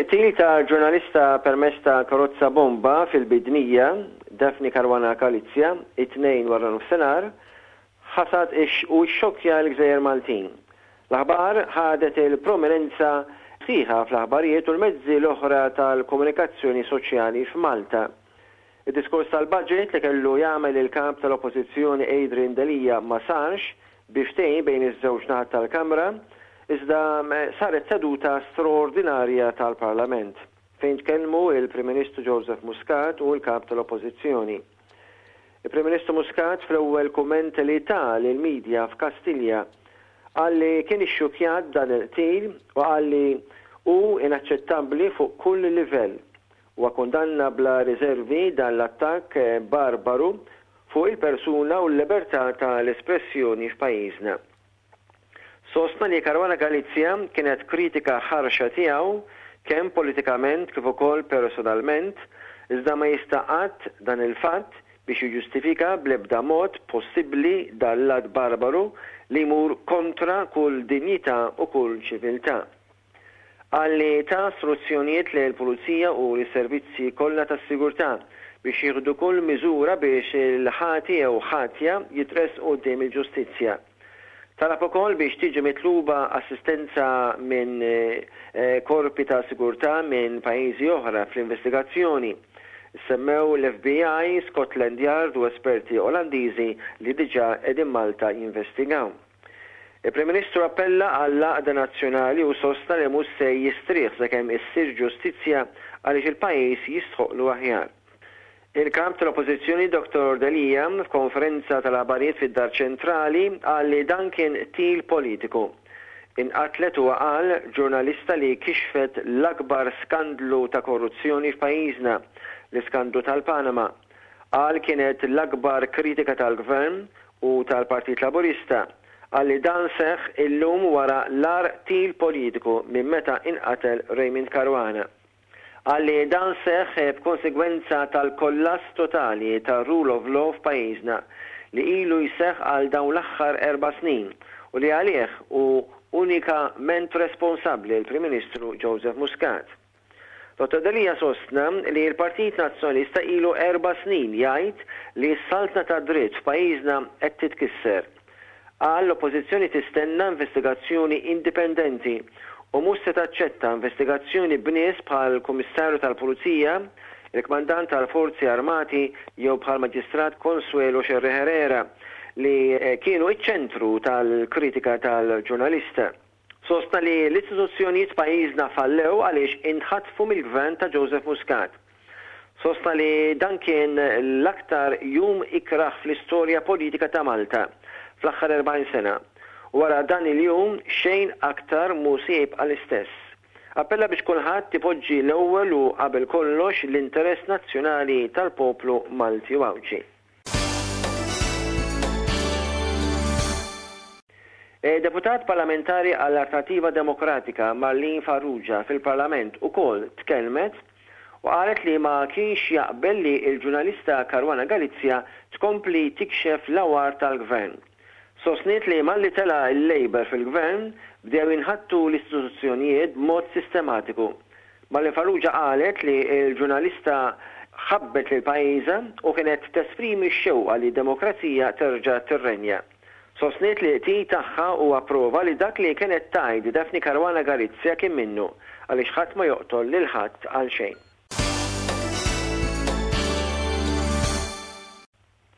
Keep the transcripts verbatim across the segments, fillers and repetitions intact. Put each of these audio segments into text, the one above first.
Il-qtil ta' ġurnalista permezz ta' karozza bomba fil-Bidnija, Daphne Caruana Galizia, it-Tnejn wara nofsinhar, ħasad u xxokkja l-Gżejjer Maltin. L-aħbar ħadet il-prominenza sħiħa fl-aħbarijiet u l-mezzi l-oħra tal-komunikazzjoni soċjali f'Malta. Id-diskors tal-budget li kellu jagħmel il-kap tal-Oppożizzjoni Adrian Delia ma sarx bi ftehim bejn iż-żewġ naħat tal-Kamra, iżda saret seduta straordinarja tal-Parlament fejn tkellmu il-Prim Ministru Joseph Muscat u l-kap tal-Oppożizzjoni. Il-Prim Ministru Muscat, fl-ewwel kumment li ta lill-medja f'Kastilja, qal li kien ixxukjat dan il-qtil u qal li hu inaċċettabbli fuq kull livell. Huwa kundanna bla riservi dan l-attakk barbaru fuq il-persuna u l-libertà tal-espressjoni f'pajjiżna. Sostna li Caruana Galizia kienet kritika ħarxa tiegħu kemm politikament kif ukoll personalment, iżda ma jista' qatt dan il-fatt biex jiġġustifika bl-ebda mod possibbli dan l-att barbaru li jmur kontra kull dinjità u kull ċiviltà. Qal li ta struzzjonijiet lill-Pulizija u lis-servizzi kollha tas-sigurtà biex jieħdu kull miżura biex il-ħati jew ħatja jitressqu quddiem il-ġustizzja. Talab ukoll biex tiġi mitluba assistenza minn korpi ta' sigurtà minn pajjiżi oħra fl-investigazzjoni. Semmew l-F B I, Scotland Yard u esperti Olandiżi li diġà qegħdin Malta jinvestigaw. Il-Prim Ministru appella għall-għaqda nazzjonali u sostna li mhux se jistrieħ sakemm issir ġustizzja għaliex il-pajjiż jistħoqlu aħjar. Il-kap tal-Oppożizzjoni Dottor Delia, f'konferenza tal-aħbarijiet fid-Dar Ċentrali, qal li dan kien qtil politiku. Inqatlet, huwa qal, ġurnalista li kixfet l-akbar skandlu ta' korruzzjoni f'pajjiżna, l-iskandlu tal-Panama. Qal kienet l-akbar kritika tal-Gvern u tal-Partit Laburista. Qal li dan seħ illum wara l-agħar qtil politiku minn meta inqatel Raymond Caruana. Qal li dan seħ b'konsegwenza tal-kollass totali tal-rule of law f'pajjiżna li ilu jseħ għal dawn l-aħħar erba' snin u li għalih hu unikament responsabbli l-Prim Ministru Joseph Muscat. Dottor Delia sostna li l-Partit Nazzjonalista ilu erba' snin jgħid li s-saltna ta' dritt f'pajjiżna qed titkisser. Qal l-Oppożizzjoni tistenna investigazzjoni indipendenti u mhux se taċċetta investigazzjoni b'nies bħal Kummissarju tal-Pulizija, il-Kmandant tal-Forzi Armati jew bħal Maġistrat Consuelo Scerri Herrera li kienu iċ-ċentru tal-kritika tal-ġurnalista. Sostna li l-istituzzjonijiet pajjiżna fallew għaliex inħatfu mill-gvern ta' Joseph Muscat. Sostna li dan kien l-aktar jum ikraħ fl-istorja politika ta' Malta fl-aħħar erbgħin sena. Wara dan il-jum xejn aktar mhu se jibqa' l-istess. Appella biex kulħadd ipoġġi l-ewwel u qabel kollox l-interess nazzjonali tal-poplu Malti u Għawdxi. Deputat parlamentari għall-Alternativa Demokratika Marlene Farrugia fil-Parlament ukoll tkellmet u qalet li ma kienx jaqbel li l-ġurnalista Caruana Galizia tkompli tikxef l-awar tal-gvern. Sostniet li malli tela l-Labour fil-gvern bdew jinħattu l-istituzzjonijiet b'mod sistematiku. Marlene Farrugia qalet li l-ġurnalista ħabbet lil pajjiżha u kienet tesprimi x-xewqa li d-demokrazija terġa' tirrenja. Sostniet li qtil tagħha huwa prova li dak li kienet tgħid Daphne Caruana Galizia kien minnu għaliex ħadd ma joqtol lil ħadd għal xejn.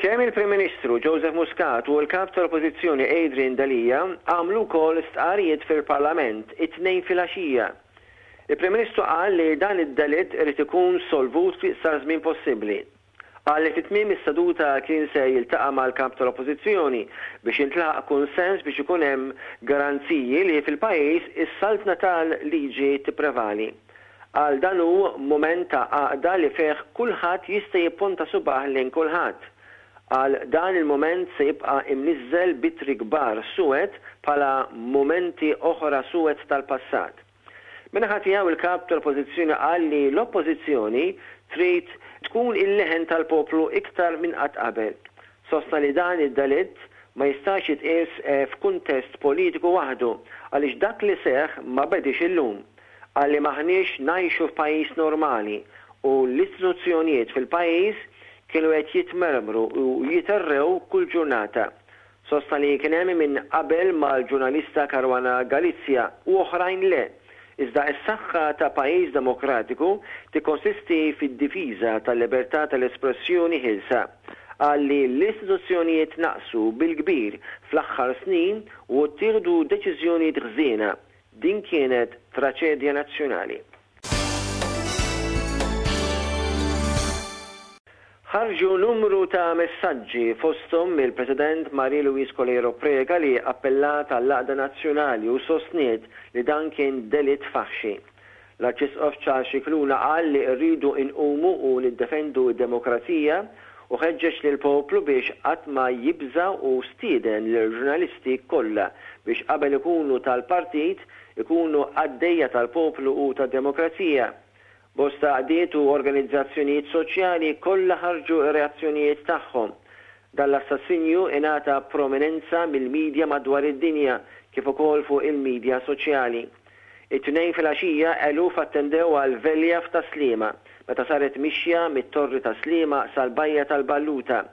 Kemm il-Prim Ministru Joseph Muscat u l-Kap tal-Oppożizzjoni Adrian Delia għamlu wkoll stqarrijiet fil-Parlament it-Tnejn filgħaxija. Il-Prim Ministru qal li dan id-delitt irid ikun solvut fl-iqsar żmien possibbli. Qal li fi tmiem is-seduta kien se jiltaqa' mal-Kap tal-Oppożizzjoni biex jintlaħaq kunsens biex ikun hemm garanziji li fil-pajjiż is-saltna tal-liġi tipprevali. Qal dan hu mument ta' għaqda li fih kulħadd jista' jipponta subaħ lejn kulħadd. Qal dan il-mument se jibqa' imniżżel bitri kbar suwed bħala mumenti oħra suwed tal-passat. Min-naħa tiegħu il-Kap tal-Oppożizzjoni qal li l-Oppożizzjoni trid tkun il-leħen tal-poplu iktar minn qatt qabel. Sostna li dan id-delitt ma jistax jitqies f'kuntest politiku waħdu għaliex dak li seħħ ma bedix illum. Qal li m'aħniex ngħixu f'pajjiż normali u l-istituzzjonijiet fil-pajjiż kienu qed jitmermru u jiterrew kull ġurnata. Sostna li kien hemm min qabel mal-ġurnalista Caruana Galizia u oħrajn le. Iżda s-saħħa ta' pajjiż demokratiku tikkonsisti fid-difiża tal-libertà tal-espressjoni ħielsa. Qal li l-istituzzjonijiet naqsu bil-kbir fl-aħħar snin u ttieħdu deċiżjonijiet ħżiena. Din kienet traċedja nazzjonali. Ħarġu numru ta' messaġġi fosthom mill-President Marie-Louise Coleiro Preca li appellat għall-għaqda nazzjonali u sostniet li dan kien delitt faħxi. L-Arċisqof Charles Scicluna qal li rridu nqumu u niddefendu d-demokrazija u ħeġġeġ lill-poplu biex qatt ma jibża' u stieden lill-ġurnalisti kollha biex qabel ikunu tal-partit ikunu qaddejja tal-poplu u tad-demokrazija. Bosta għaqdiet u organizzazzjonijiet soċjali kollha ħarġu r-reazzjonijiet tagħhom. Dan l-assassinju ingħata prominenza mill-midja madwar id-dinja kif ukoll fuq il-midja soċjali. It-Tnejn filgħaxija eluf attendew għal velja f'Tas-Sliema meta saret mixja mit-Torri ta' Sliema sal-Bajja tal-Balluta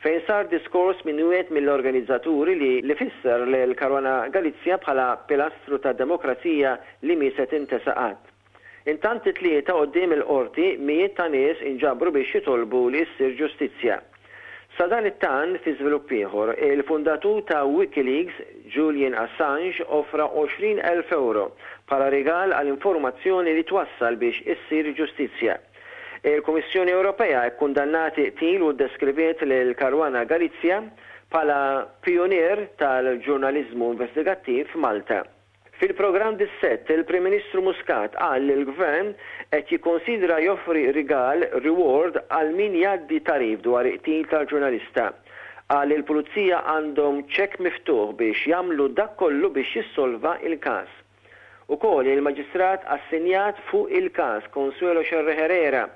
fejn sar diskors minn wieħed mill-organizzaturi li li fisser lil Caruana Galizia bħala pilastru tad-demokrazija li mhi se tintesa qatt. Intant it-Tlieta quddiem il-Qorti mijiet ta' nies inġabru biex jitolbu li ssir ġustizzja. Sadanittant fi żvilupp ieħor, il-fundatur ta' WikiLeaks, Julian Assange offra għoxrin elf ewro bħala rigal għal informazzjoni li twassal biex issir ġustizzja. Il-Kummissjoni Ewropea kkundannat il-qtil u ddeskriviet lil Caruana Galizia bħala pijunier tal-ġurnaliżmu investigattiv f'Malta. Fil-programm Dissett, il-Prim Ministru Muscat qal li l-Gvern qed jikkonsidra joffri rigal, reward, għal min jgħaddi tagħrif dwar il-qtil tal-ġurnalista. Qal li l-Pulizija għandhom ċekk miftuħ biex jagħmlu dak kollu biex jissolva il-każ. Ukoll il-Maġistrat assenjat fuq il-każ Consuelo Scerri Herrera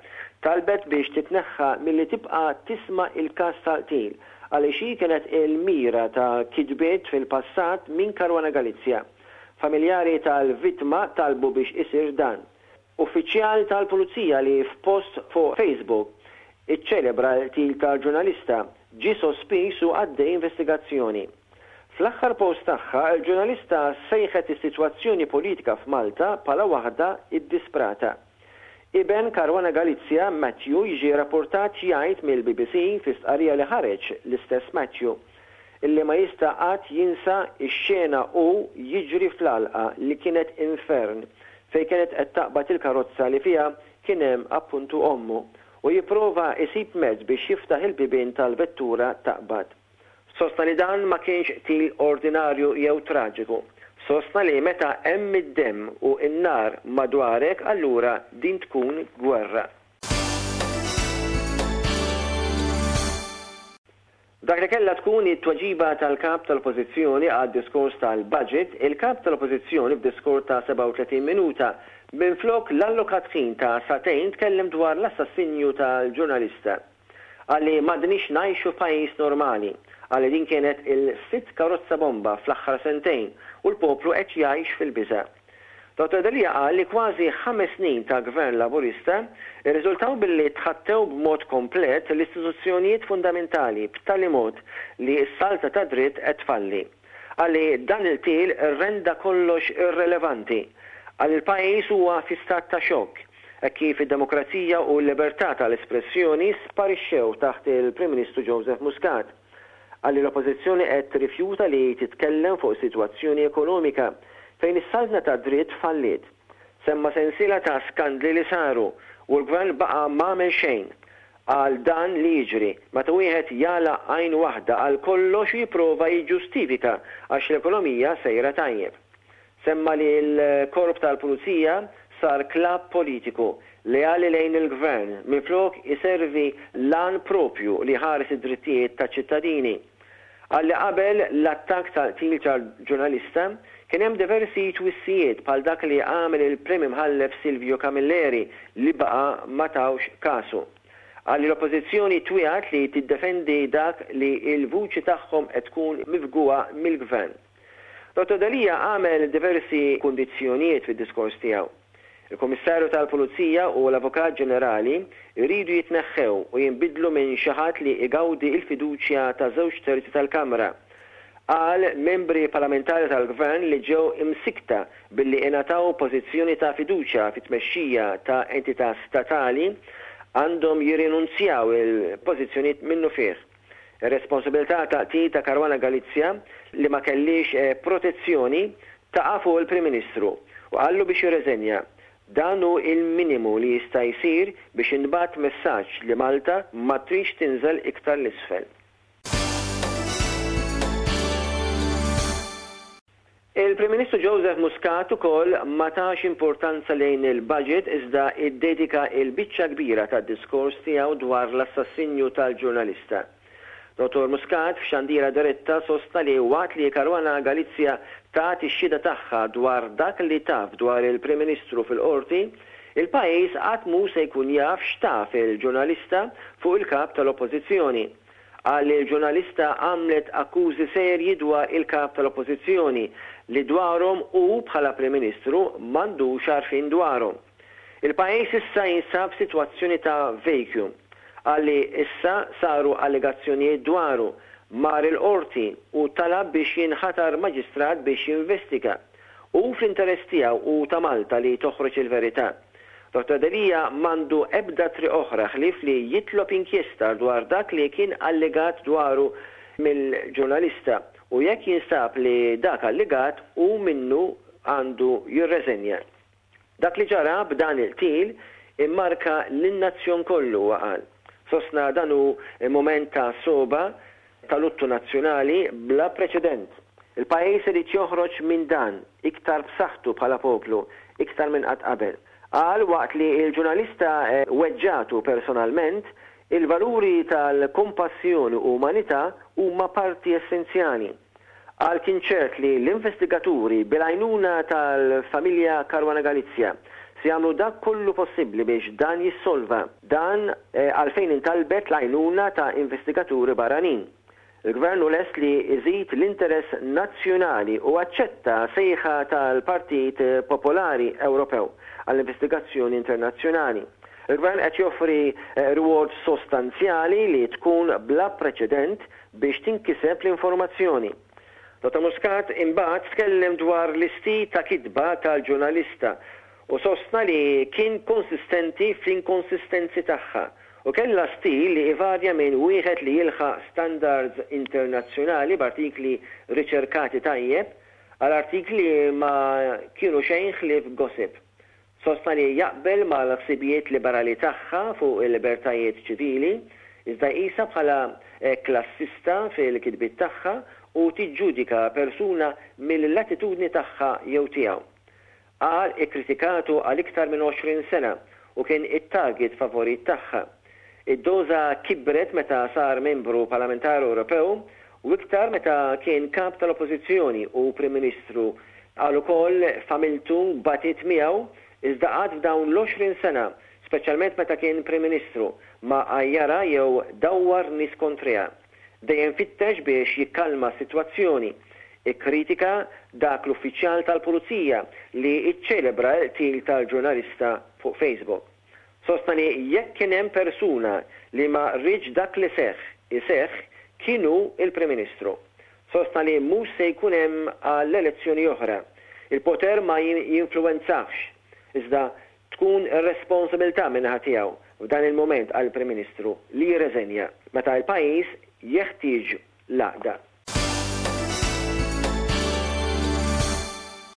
talbet biex titneħħa milli tibqa' tisma' il-każ tal-qtil għaliex hi kienet il-mira ta' kitbiet fil-passat minn Caruana Galizia. Familjari tal-vittma talbu biex isir dan. Uffiċjal tal-Pulizija li f'post fuq Facebook iċċelebra l-qtil tal-ġurnalista ġie sospiż u għaddej investigazzjoni. Fl-aħħar post tagħha, il-ġurnalista sejħet is-sitwazzjoni politika f'Malta bħala waħda iddisprata. Iben Caruana Galizia, Matthew, jiġi rapportat jgħid mill-B B C fi stqarrija li ħareġ l-istess Matthew illi ma jista' qatt jinsa x-xena u jiġri fl-għalqa li kienet infern fejn kienet qed taqbad il-karozza li fiha kien hemm appuntu ommu u jipprova isib mezz biex jiftaħ il-bibien tal-vettura taqbad. Sostna li dan ma kienx qtil ordinarju jew traġiku. Sostna li meta hemm id-demm u n-nar madwarek allura din tkun gwerra. Dak li kellha tkun it-tweġiba tal-kap tal-Oppożizzjoni għad-diskors tal-budget, il-kap tal-Oppożizzjoni f'diskors ta' sebgħa u tletin minuta minflok l-allokat ħin ta' sagħtejn tkellem dwar l-assassinju tal-ġurnalista. Qal li m'għadniex ngħixu f'pajjiż normali, qal li din kienet il-sitt karozza bomba fl-aħħar sentejn u l-poplu qed jgħix fil-biża'. Dottor Delia qal li kważi ħames snin ta' gvern laburista irriżultaw billi tħattew b'mod komplet l-istituzzjonijiet fundamentali b'tali mod li s-salta ta' dritt qed tfalli. Qal li dan il-qtil renda kollox irrelevanti. Qal li l-pajjiż huwa fi stat ta' xokk, hekk kif id-demokrazija u l-libertà tal-espressjoni sparixxew taħt il-Prim Ministru Joseph Muscat. Qal li l-Oppożizzjoni qed tirrifjuta li titkellem fuq sitwazzjoni ekonomika fejn is-saltna ta' dritt falliet. Semma sensiela ta' skandli li saru u l-gvern baqa' m'għamel xejn. Qal dan li jiġri meta wieħed jagħlaq għajn waħda għal kollox u jipprova jiġġustifika għax l-ekonomija sejra tajjeb. Semma li l-korp tal-Pulizija sar klabb politiku leali lejn il-gvern minflok iservi l-għan propju li ħares id-drittijiet taċ-ċittadini. Qal li qabel l-attakk tal-qtil tal-ġurnalista kien hemm diversi twissijiet bħal dak li għamel il-Prim Imħallef Silvio Camilleri li baqa' ma tawx kasu. Qal li l-Oppożizzjoni twiegħed li tiddefendi dak li l-vuċi tagħhom qed tkun mifgugħa mill-gvern. Dottor Delia għamel diversi kundizzjonijiet fid-diskors tiegħu. Il-Kummissarju tal-Pulizija u l-Avukat Ġenerali jridu jitneħħew u jinbidlu minn xi ħadd li igawdi l-fiduċja ta' żewġ terzi tal-Kamra. Qal membri parlamentari tal-Gvern li ġew imsikta billi ingħataw pożizzjoni ta' fiduċja fit-tmexxija ta' entità statali għandhom jirrinunzjaw il-pożizzjonijiet minnufih. Ir-responsabilità ta' qtil ta' Caruana Galizia li ma kellix protezzjoni taqa' fuq il-Prim Ministru u qallu biex jirreżenja. Dan hu il-minimu li jista' jsir biex inbagħat messaġġ li Malta ma tridx tinżel iktar l-isfel. Il-Prim Ministru Joseph Muscat ukoll ma tax importanza lejn il-budget iżda iddedika il-biċċa kbira tad-diskors tiegħu dwar l-assassinju tal-ġurnalista. Dottor Muscat f'xandira diretta sostna li waqt li Caruana Galizia tat ix-xhieda tagħha dwar dak li taf dwar il-Prim Ministru fil-qorti, il-pajjiż qatt mhu se jkun jaf x'taf il-ġurnalista fuq il-kap tal-Oppożizzjoni. Qal li l-ġurnalista għamlet akkużi serji dwar il-kap tal-Oppożizzjoni li dwarhom hu bħala Prim Ministru m'għandux għarfien dwarhom. Il-pajjiż issa jinsab f'sitwazzjoni ta' vacuum. Qal li issa saru allegazzjonijiet dwaru, mar il-qorti u talab biex jinħatar maġistrat biex jinvestiga. Hu fl-interess tiegħu u ta' Malta li toħroġ il-verità. Dottor Delia m'għandu ebda triq oħra ħlief li jitlob inkjesta dwar dak li kien allegat dwaru mill-ġurnalista u jekk jinstab li dak allegat hu minnu għandu jirreżenja. Dak li ġara b'dan il-qtil immarka lin-nazzjon kollu, huwa qal. Sostna dan hu mument ta' soba tal-luttu nazzjonali bla preċedent. Il-pajjiż irid joħroġ minn dan iktar b'saħħtu bħala poplu, iktar minn qatt qabel. Qal waqt li l-ġurnalista weġġatu personalment, il-valuri tal-kompassjoni u umanità huma parti essenzjali. Qal kien ċert li l-investigaturi bil-għajnuna tal-familja Caruana Galizia se jagħmlu dak kollu possibbli biex dan jissolva. Dan għalfejn intalbet l-għajnuna ta' investigaturi barranin. Il-Gvern hu lest li jżid l-interess nazzjonali u aċċetta sejħa tal-Partit Popolari Ewropew għall-investigazzjoni internazzjonali. Il-Gvern qed joffri reward sostanzjali li tkun bla preċedent biex tinkiseb l-informazzjoni. Dottor Muscat imbagħad tkellem dwar l-istil ta' kitba tal-ġurnalista u sostna li kien konsistenti fl-inkonsistenzi tagħha u kellha stil li ivarja minn wieħed li jilħaq standards internazzjonali b'artikli riċerkati tajjeb għal artikli ma kienu xejn ħlief gossip. Sostna li jaqbel mal-ħsibijiet liberali tagħha fuq il-libertajiet ċivili, iżda jqisha bħala klassista fil-kitbiet tagħha u tiġġudika persuna mill-latitudni tagħha jew tiegħu. Qal ikkritikatu għal iktar minn għoxrin sena u kien it-target favorit tagħha. Id-doża kibret meta sar membru parlamentari Ewropew u iktar meta kien kap tal-Oppożizzjoni u Prim Ministru. Qal ukoll familtu batit miegħu iżda qatt f'dawn l-għoxrin sena, speċjalment meta kien Prim Ministru, ma għajjara jew dawwar nies kontriha. Dejjem fittex biex jikkalma s-sitwazzjoni. Ikkritika dak l-uffiċjal tal-Pulizija li iċċelebra l-qtil tal-ġurnalista fuq Facebook. Sostna li jekk kien hemm persuna li ma rridx dak li seħħ iseħħ, kien hu il-Prim Ministru. Sostna li mhux se jkun hemm għall-elezzjoni oħra. Il-poter ma jinfluwenzax, iżda tkun ir-responsabilità min-naħa tiegħu f'dan il-mument għall-Prim Ministru li jirreżenja meta l-pajjiż jeħtieġ l-għaqda.